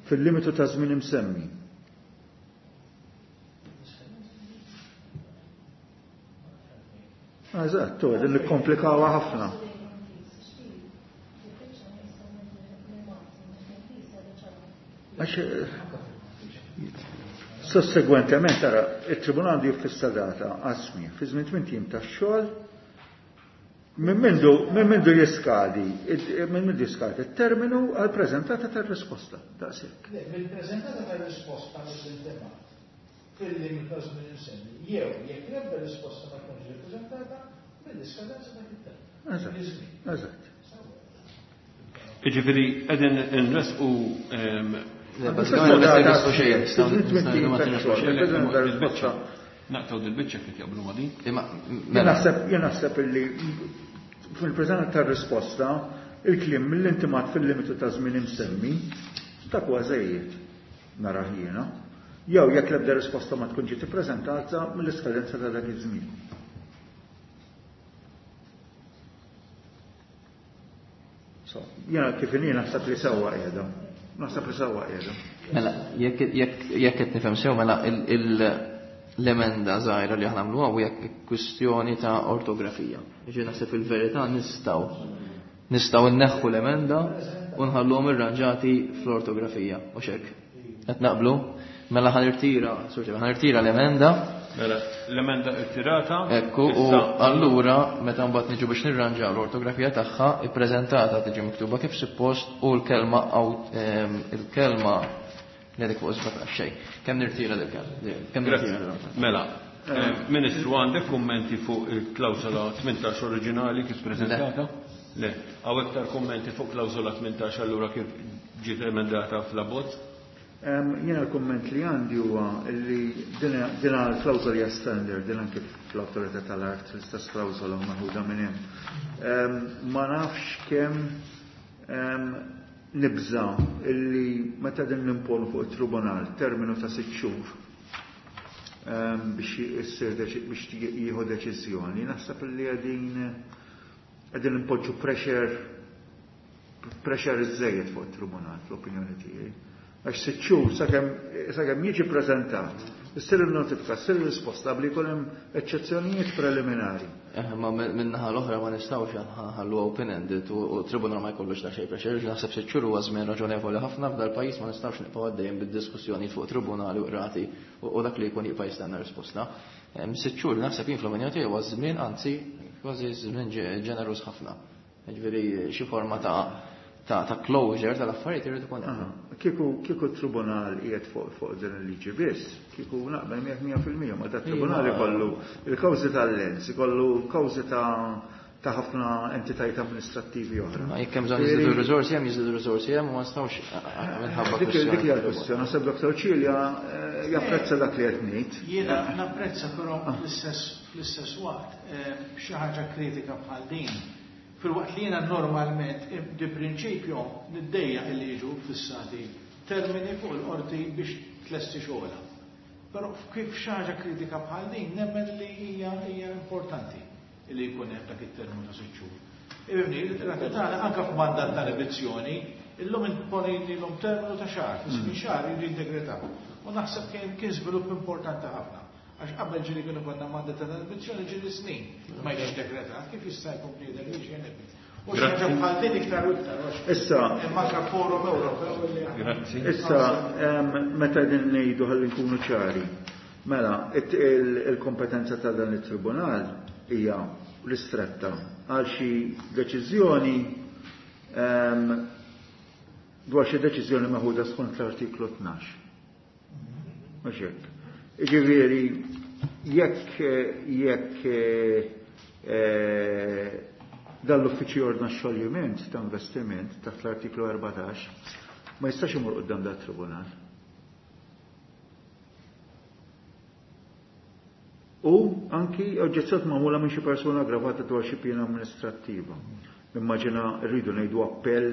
Fil-limitu ta' żmien imsemmi. Eżatt, tu, din nikkomplikawha ħafna. Għax sossegwentement ara, it-tribunal għandu jiffissa data għas-smigħ fi żmien tmint ijiem tax-xogħol minn mindu minn mindu jiskadi minn mindu jiskadi t-terminu għall-preżentata tar-risposta. Daqshekk. Le, mill-preżentata tar-risposta mill-intimat fil-limitu ta' żmien imsemmi, jew jekk l-ebda risposta ma tkunx ġiet ippreżentata, mill-iskadenza ta' dak it-terminu. Eżatt. Eżatt. Jiġifieri qegħdin inressqu Le, bażikament ma nirresqu xejn. Il-biċċa. Naqtgħu dil-biċċa kif jaqblu ma' din. Imma Jien naħseb jien naħseb illi fil-preżenza tar-risposta il-kliem mill-intimat fil-limitu ta' żmien imsemmi dak huwa żejjed narah jiena. Jew jekk l-ebda risposta ma tkun ġiet ippreżentata mill-iskadenza ta' dak iż-żmien. So, jiena kif inhi naħseb li sewwa qiegħda. Naħseb li sewwa qiegħda. Mela, jekk jekk jekk qed nifhem sew mela l-emenda żgħira li aħna nagħmluha u jekk kwistjoni ta' ortografija. Jiġifieri naħseb fil-verità nistgħu nistgħu nneħħu l-emenda u nħalluhom irranġati fl-ortografija, u hekk. Qed naqblu? Mela ħa nirtira, ħa nirtira l-emenda. Mela, l-emenda irtirata. Ekku, u allura meta mbagħad niġu biex nirranġaw l-ortografija tagħha, ippreżentata tiġi miktuba kif suppost u l-kelma il-kelma li dik fuq 17 xejn. Kemm nirtira dik Kemm nirtira? Mela, Ministru, għandek kummenti fuq il-klawsola 18 oriġinali kif preżentata? Le. Hawn iktar kummenti fuq klawsola 18 allura kif ġiet emendata fl-abbozz? Jiena l-kumment li għandi huwa li din l-klawsola hija standard, din anke fl-awtorità tal-art l-istess klawsola maħuda minn hemm. Ma nafx kemm nibża illi meta din nimponu fuq it-tribunal terminu ta' 6 xhur biex issir biex jieħu deċiżjoni, naħseb li qegħdin impoġġu pressure iżżejjed fuq it-tribunal fl-opinjoni tiegħi. Għax 6 xhur sakemm jiġi preżentat, issir il-notifika, ssir il-risposta bli jkun hemm eċċezzjonijiet preliminari. Ma min-naħa l-oħra ma nistgħux nħallu open-ended u tribunal ma jkollux ta' xejn pressure, naħseb 6 xhur huwa żmien raġonevoli ħafna f'dal-pajjiż, ma nistgħux nibqgħu għaddejjin bid-diskussjoni fuq tribunali u qrati u dak li jkun jibqa' jistenna risposta. 6 xhur naħseb jien fl-opinjoni tiegħi huwa żmien, anzi kważi żmien ġeneruż ħafna. Jiġifieri xi forma ta' closure tal-affarijiet irid ikun hemm. Kieku t-tribunal qiegħed fuq din il-liġi biss, kieku naqbel miegħek 100%, ma ta' tribunal ikollu il-kawżi tal-lens, ikollu kawżi ta' ħafna entitajiet amministrattivi oħra. Ma jekk hemm bżonn jiżdiedu r-riżorsi hemm, jiżdiedu r-riżorsi hemm, u ma nistgħux minħabba Dik dik hija l-kwestjoni. Naħseb Dr. Cilia japprezza dak li qed ngħid. Jiena napprezza, però fl-istess waqt xi ħaġa kritika bħal din. Filwaqt li jiena normalment di prinċipju niddejjaq li jiġu fissati termini fuq il-qorti biex tlesti xogħolha. Però kif xi ħaġa kritika bħal din nemmen li hija importanti li jkun hemm dak it-terminu ta' 6 xhur. Ibni, il-rati tagħna anke f'mandat ta' revizzjoni, illum imponilhom terminu ta' xahar, fi żmien xahar jridu jiddekretaw. U naħseb kien żvilupp importanti ħafna. Għax qabel ġieli kienu konna mandat ta' revizzjoni ġieli snin ma jiġix dekretat, kif jista' jkun bniedem li jiġi jenebbi. U xi ħaġa bħal din iktar u iktar, għax hemm anke forum Ewropew li aħna Grazzi. Issa, meta din ngħidu ħalli nkunu ċari, mela, il-kompetenza ta' dan it-tribunal hija ristretta għal xi deċiżjoni dwar xi deċiżjoni meħuda skont l-artiklu 12. Mhux hekk. Jiġifieri jekk dan l-uffiċċju ordna xoljiment ta' investiment taħt l-artiklu 14, ma jistax imur quddiem dat tribunal. U anki oġġezzjoni magħmula minn xi persuna aggravata dwar xi piena amministrattiva. Immaġina rridu ngħidu appell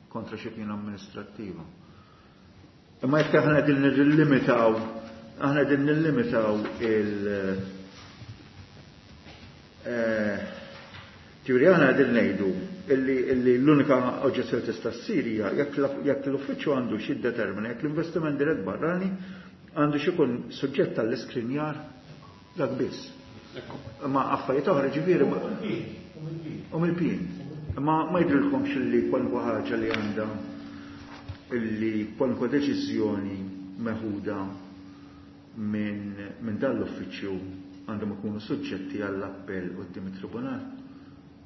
kontra xi piena amministrattiva. Imma jekk aħna qegħdin nillimitaw, aħna qegħdin nillimitaw il- ġifieri aħna qegħdin ngħidu illi l-unika oġġezzjoni tista' ssir hija jekk l-uffiċċju għandu xi jiddetermina jekk l-investiment dirett barrani għandu xi jkun suġġett tal-iskrinjar dak biss. Ma affarijiet oħra ġifieri u mill-pien. Ma jidrilkomx li kwalunkwe ħaġa li għandha. illi kwalunkwe deċiżjoni meħuda minn dan l-uffiċċju għandhom ikunu suġġetti għall-appell quddiem it-tribunal?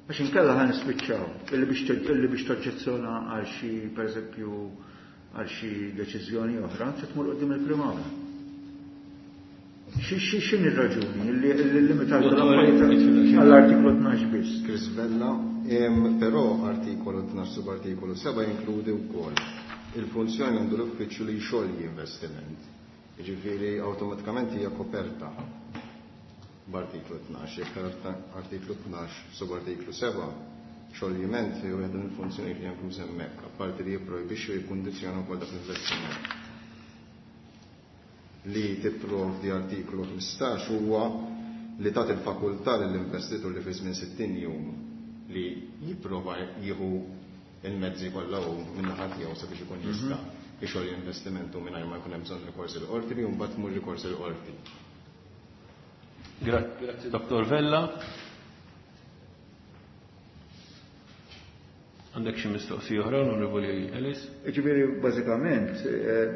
Għax inkella ħa nispiċċaw illi biex toġġezzjona għal xi pereżempju għal xi deċiżjoni oħra trid tmur quddiem il-Prim'Awla. X'inhi r-raġuni illi limitajtu l-affarijiet għall-artiklu 12 biss? Chris Vella, però artikolu 12 subartikolu 7 jinkludi wkoll il-funzjoni għandu l-uffiċċju li jxolji investiment. Jiġifieri awtomatikament hija koperta b'artiklu 12, jekk artiklu 12 subartiklu 7 xoljiment jew waħda mill-funzjonijiet li hemm hemmhekk, apparti li jipprojbixxu jikkundizzjona wkoll dak l-investiment. Li tipprovdi artiklu 15 huwa li tagħti l-fakultà lill-investitur li fi żmien 60 jum li jipprova jieħu il-mezzi kollha hu min-naħa tiegħu sabiex ikun jista' ixolji investimentu mingħajr ma jkun hemm bżonn rikors il-qorti li mbagħad tmur rikors il-qorti. Grazzi Dottor Vella. Għandek xi mistoqsija oħra, Onorevoli Ellis? Ġifieri bażikament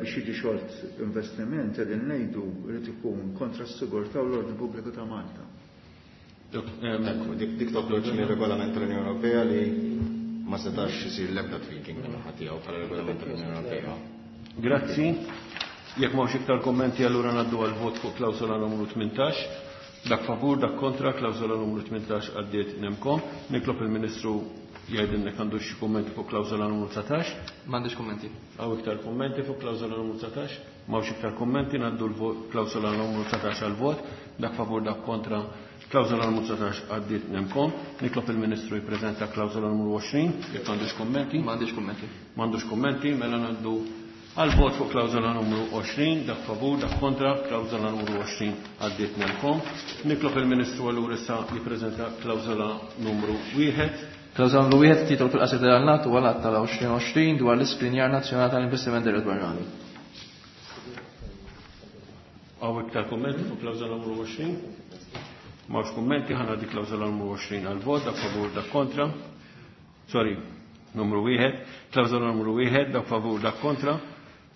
biex jiġi xolt investiment qegħdin ngħidu jrid ikun kontra s-sigurtà u l-ordni pubbliku ta' Malta. Ekku, dik toħroġ mir-regolament tal-Unjoni Ewropea li ma setax isir l-ebda tweaking min-naħa tiegħu bħala regolament tal-Unjoni Ewropea. Grazzi. Jekk m'hawnx iktar kommenti allura ngħaddu għal vot fuq klawsola numru 18. Dak favur, dak kontra, klawsola numru 18 għaddiet nemkom. Nitlob il-Ministru jgħidilna jekk għandu xi kummenti fuq klawsola numru 19. M'għandix kummenti. Hawn iktar kummenti fuq klawsola numru 19? M'hawnx iktar kummenti, ngħaddu l-klawsola numru 19 għal vot. Dak favur, dak kontra, klawsola numru 19 għaddiet nemkom. Nitlob il-Ministru jippreżenta klawsola numru 20, jekk għandux kummenti. M'għandix kummenti. M'għandux kummenti, mela ngħaddu għal vot fuq klawsola numru 20, dak favur, dak kontra, klawsola numru 20 għaddiet nemkom. Nitlob il-Ministru allura issa jippreżenta klawsola numru 1. Klawsola numru 1, titolu fil-qasir tal-għannat u għal tal-2020 dwar l-iskrinjar nazzjonali tal-investiment dirett barrani. Hawn iktar kummenti fuq klawsola numru 20? M'hawnx kummenti, ħa ngħaddi klawsola numru 20 għal vot, dak favur, dak kontra. Sorry, numru 1, klawsola numru 1, dak favur, dak kontra.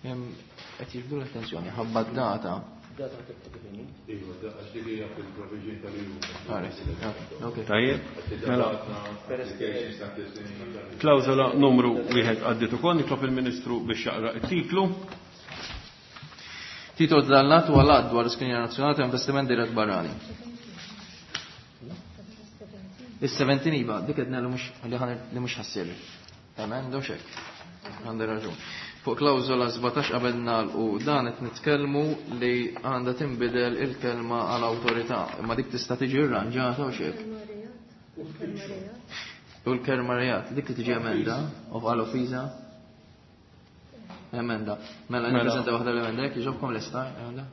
Qed jiġbdu l-attenzjoni, ħabba d-data. Data kif inhi? Iva, għax dik hija fil-provision tal-EU. Ok. Tajjeb, mela. Klawsola numru 1 għaddiet ukoll, nitlob il-Ministru biex jaqra t-titlu. Titolu tal-għannat huwa l-att dwar l-iskrinjar nazzjonali ta' investiment dirett barrani. Is-17 iva, dik qed ngħidu mhux li ħan li mhux ħassir. Emenda u xek. Għandi raġun. Fuq klawżola 17 qabel nagħlqu dan qed nitkellmu li għandha tinbidel il-kelma għal awtorità, imma dik tista' tiġi rranġata u xek. U l-kelma rejat, dik tiġi emenda, u għal offiża. Emenda. Mela Mela. nippreżenta waħda l-emenda, jekk jogħġobkom lesta, emenda.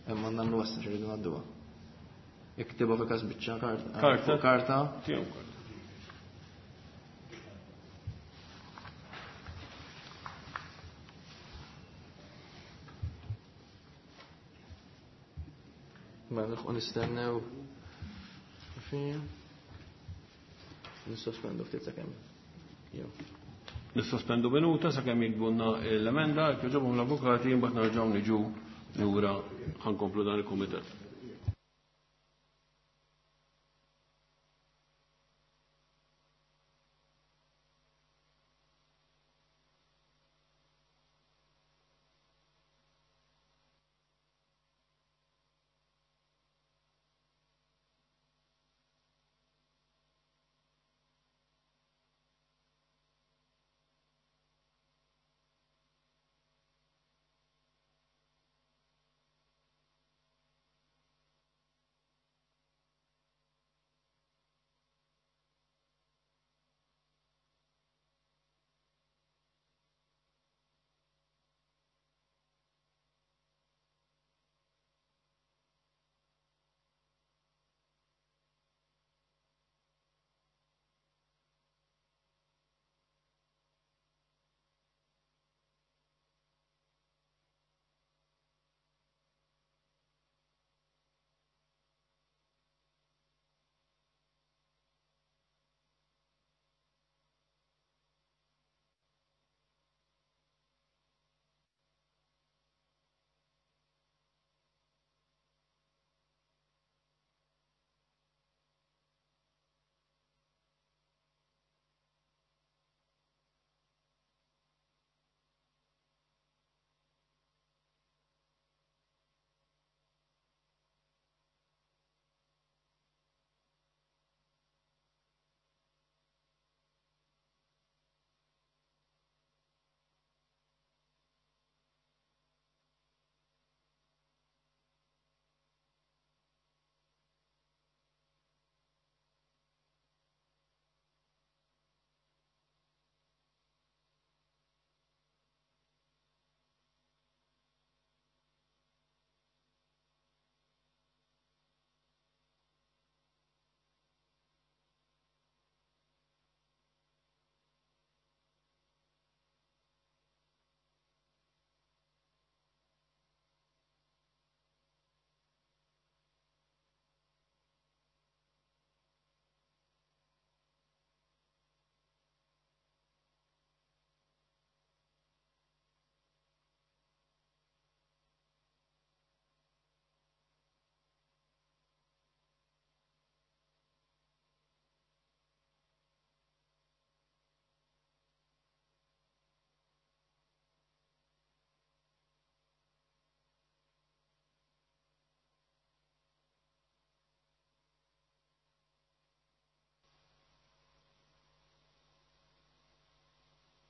Imma nagħmlu wasta x'iridu ngħadduha. Iktibha fi każ biċċa karta. Karta. Fuq karta. Tiegħu karta. Mela nilħqu nistennew. Fija. Nissospendu ftit sakemm. Jew. Nissospendu minuta sakemm jiktbulna l-emenda, jekk jogħġobhom l-avukati, imbagħad nerġgħu niġu lura ħankomplu dan il-kumitat.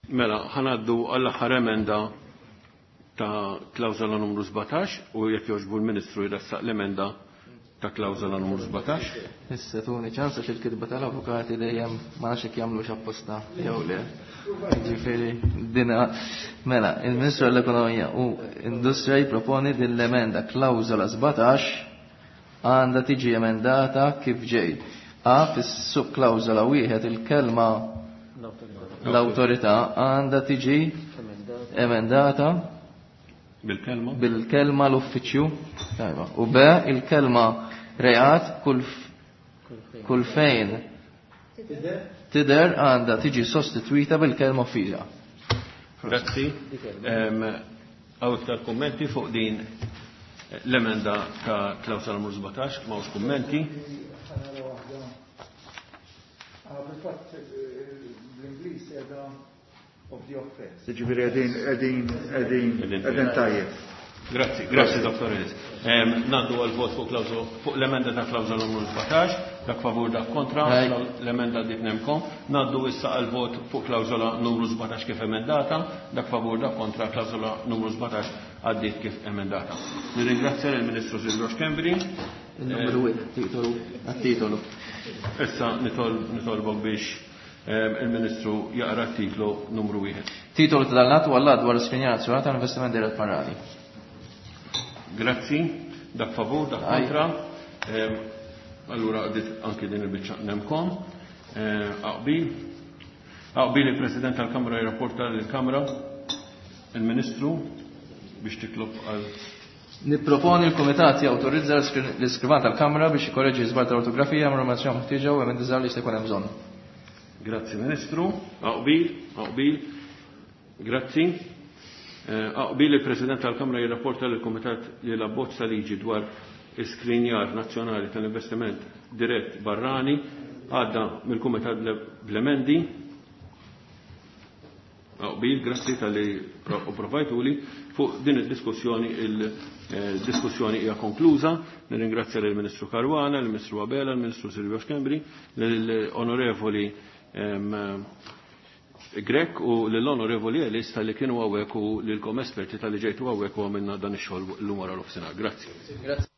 Mela, ħa ngħaddu għall-aħħar emenda ta' klawżola numru 17 u jekk jogħġbu l-Ministru jressaq l-emenda ta' klawżola numru 17. Issa tuni ċans għax il-kitba tal-avukati dejjem ma nafx jekk jagħmlux apposta jew le. Ġifieri dina mela, il-Ministru għall-Ekonomija u Industrija jipproponi din l-emenda klawżola 17 għandha tiġi emendata kif ġej. A fis-subklawżola wieħed il-kelma l-awtorità għandha tiġi emendata Bil-kelma? Bil-kelma l-uffiċċju. Tajba. U B il-kelma reat kull fejn tidher għandha tiġi sostitwita bil-kelma offiża. Grazzi. Hawn iktar kummenti fuq din l-emenda ta' klawsola numru 17, m'hawnx kummenti. Fil-fatt l-Ingliż qiegħda of the offense. Ġifieri qegħdin qegħdin qegħdin qegħdin tajjeb. Grazzi, grazzi Dr. Ellis. Ngħaddu għal vot fuq klawżola fuq l-emenda ta' klawżola numru 17, dak favur dak kontra, l-emenda għaddiet nemkom. Ngħaddu issa għal vot fuq klawżola numru 17 kif emendata, dak favur dak kontra, klawżola numru 17 għaddiet kif emendata. Nirringrazzja lill-Ministru Silvio Schembri. Il-numru wieħed, titolu, għat-titolu. Issa nitolbok biex il-Ministru jaqra t-titlu numru 1. Titolu ta' dan l-att huwa l-Att dwar l-Iskrinjar Nazzjonali tal-Investiment Dirett Barrani. Grazzi, dak favur, dak kontra. Allura għaddit anki din il-biċċa nemkom. Aqbil. Aqbil il-President tal-Kamra jirrapporta lill-Kamra, il-Ministru, biex titlob għal. Nipproponi l-Kumitat jawtorizza l-iskrivan tal-Kamra biex jikorreġi żball tal-ortografija, jagħmel informazzjoni meħtieġa u emendi żgħar li jista' jkun hemm bżonn. Grazzi Ministru. Aqbil, aqbil. Grazzi. Aqbil il-President tal-Kamra jirrapporta lill-Kumitat li l-abbozz ta' liġi dwar iskrinjar nazzjonali tal-investiment dirett barrani għadda mill-Kumitat bl-emendi. Aqbil, grazzi tal-li provajtuli fuq din id-diskussjoni, il-diskussjoni hija konkluża. Nirringrazzja lill-Ministru Caruana, lill-Ministru Abela, lill-Ministru Silvio Schembri, lill-Onorevoli Grech u lill-Onorevoli Ellis tal-li kienu hawnhekk u lilkom esperti tal-li ġejtu hawnhekk u għamilna dan ix-xogħol llum wara nofsinhar. Grazzi. Grazzi.